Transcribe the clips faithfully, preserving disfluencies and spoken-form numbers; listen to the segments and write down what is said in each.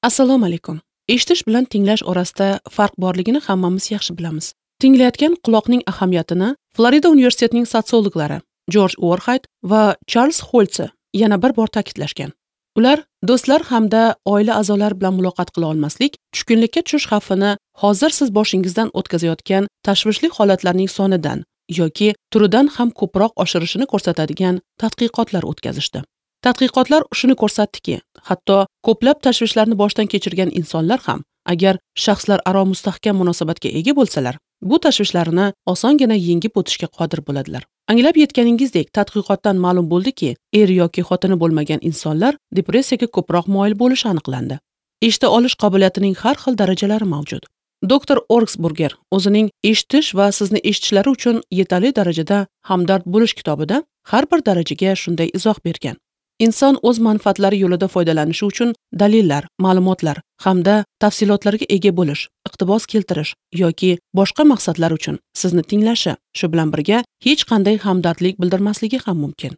Assalomu alaykum. Eshitish bilan tinglash orasida farq borligini hammamiz yaxshi bilamiz. Tinglayotgan quloqning ahamiyatini Florida universitetining sotsiologlari Jorj Uorxayt va Charles Holtse yana bir bor ta'kidlashgan. Ular do'stlar hamda oila a'zolari bilan muloqot qila olmaslik, tushkunlikka tushish xavfini hozir siz boshingizdan o'tkazayotgan tashvishli holatlarning sonidan yoki turidan ham ko'proq oshirishini ko'rsatadigan tadqiqotlar o'tkazishdi. Tadqiqotlar shuni ko'rsatdiki, hatto ko'plab tashvishlarni boshdan kechirgan insonlar ham agar shaxslar aro mustahkam munosabatga ega bo'lsalar, bu tashvishlarni osongina yengib o'tishga qodir bo'ladilar. Anglab yetganingizdek, tadqiqotdan ma'lum bo'ldiki, er yoki xotini bo'lmagan insonlar depressiyaga ko'proq moyil bo'lishi aniqlandi. Eshita olish qobiliyatining har xil darajalari mavjud. Doktor Orgsburger o'zining Eshitish va sizni eshitishlari uchun yetarli darajada hamdard bo'lish kitobida har bir darajaga shunday izoh bergan. Inson o'z manfaatlari yo'lida foydalanishi uchun dalillar, ma'lumotlar hamda tafsilotlarga ega bo'lish, iqtibos keltirish yoki boshqa maqsadlar uchun sizni tinglashi, shu bilan birga hech qanday hamdardlik bildirmasligi ham mumkin.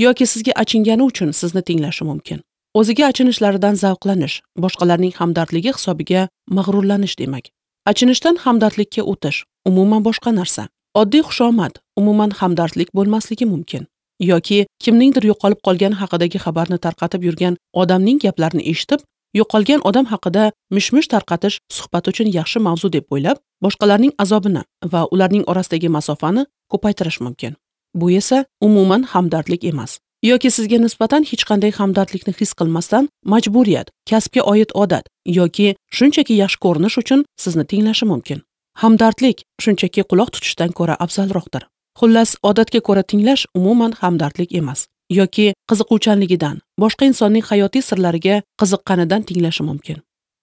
Yoki sizga achingani uchun sizni tinglashi mumkin. O'ziga achinishlaridan zavqlanish, boshqalarning hamdardligi hisobiga mag'rurlanish demak. Achinishdan hamdardlikka o'tish umuman boshqa narsa. Oddiy xushomad umuman hamdardlik bo'lmasligi mumkin. Yoki kimningdir yo'qolib qolgani haqidagi xabarni tarqatib yurgan odamning gaplarini eshitib, yo'qolgan odam haqida mish-mish tarqatish suhbat uchun yaxshi mavzu deb o'ylab, boshqalarning azobini va ularning orasidagi masofani ko'paytirish mumkin. Bu esa umuman hamdardlik emas. Yoki sizga nisbatan hech qanday hamdardlikni his qilmasdan majburiyat, kasbga oid odat yoki shunchaki yaxshi ko'rinish uchun sizni tinglashi mumkin. Hamdardlik shunchaki quloq tutishdan ko'ra afzalroqdir. Xullas, odatga ko'ra tinglash umuman hamdardlik emas. Yoki qiziquvchanligidan, boshqa insonning hayotiy sirlariga qiziqqanidan tinglashi mumkin.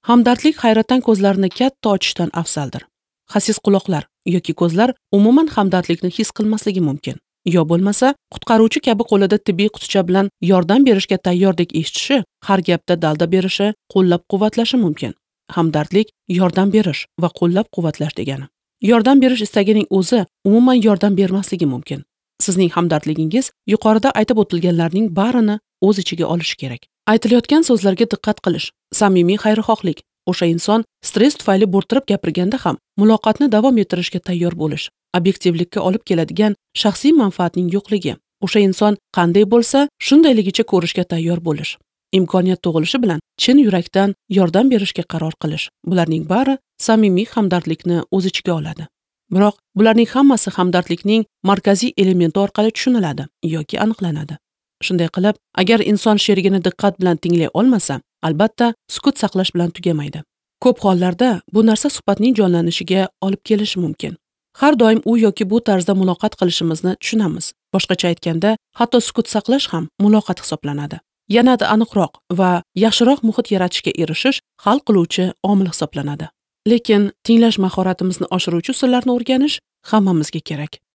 Hamdardlik hayratdan ko'zlarini katta ochishdan afzaldir. Xasis quloqlar yoki ko'zlar umuman hamdardlikni his qilmasligi mumkin. Yo bo'lmasa, qutqaruvchi kabi qo'lida tibbiy quticha bilan yordam berishga tayyordik eshitishi, har gapda dalda berishi, qo'llab-quvvatlashi mumkin. Hamdardlik yordam berish va qo'llab-quvvatlash degani. Yordam berish istagining o'zi umuman yordam bermasligi mumkin. Sizning hamdardligingiz yuqorida aytib o'tilganlarning barini o'z ichiga olishi kerak. Aytilayotgan so'zlarga diqqat qilish, samimiy xayrixohlik, o'sha inson stress tufayli bo'rttirib gapirganda ham muloqotni davom ettirishga tayyor bo'lish, obyektivlikka olib keladigan shaxsiy manfaatning yo'qligi, o'sha inson qanday bo'lsa, shundayligicha ko'rishga tayyor bo'lish, imkoniyat tug'ilishi bilan chin yurakdan yordam berishga qaror qilish. Bularning bari samimiy hamdardlikni o'z ichiga oladi. Biroq bularning hammasi hamdardlikning markaziy elementi orqali tushuniladi yoki aniqlanadi. Shunday qilib, agar inson sherigini diqqat bilan tinglay olmasa, albatta sukut saqlash bilan tugamaydi. Ko'p hollarda bu narsa suhbatning jonlanishiga olib kelishi mumkin. Har doim u yoki bu tarzda muloqot qilishimizni tushunamiz. Boshqacha aytganda, hatto sukut saqlash ham muloqot hisoblanadi. Yanada aniqroq va yaxshiroq muhit yaratishga erishish hal qiluvchi omil hisoblanadi. Lekin tinglash mahoratimizni oshiruvchi usullarni o'rganish hammamizga kerak.